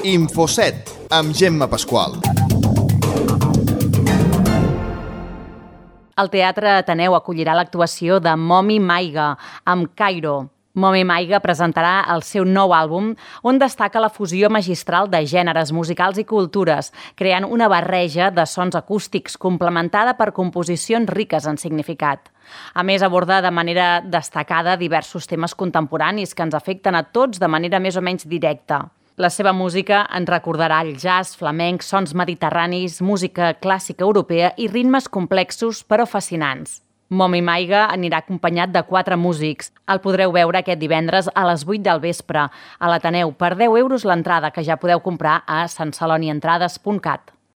Infoset, amb Gemma Pasqual. El Teatre Ateneu acollirà l'actuació de Momi Maiga, amb Cairo. Momi Maiga presentarà el seu nou àlbum, on destaca la fusió magistral de gèneres musicals i cultures, creant una barreja de sons acústics complementada per composicions riques en significat. A més, aborda de manera destacada diversos temes contemporanis que ens afecten a tots de manera més o menys directa. La seva música ens recordarà el jazz, flamenc, sons mediterranis, música clàssica europea i ritmes complexos però fascinants. Momi Maiga anirà acompanyat de 4 músics. El podreu veure aquest divendres a les 8 del vespre a l'Ateneu per 10 € l'entrada, que ja podeu comprar a santcelonientrades.cat.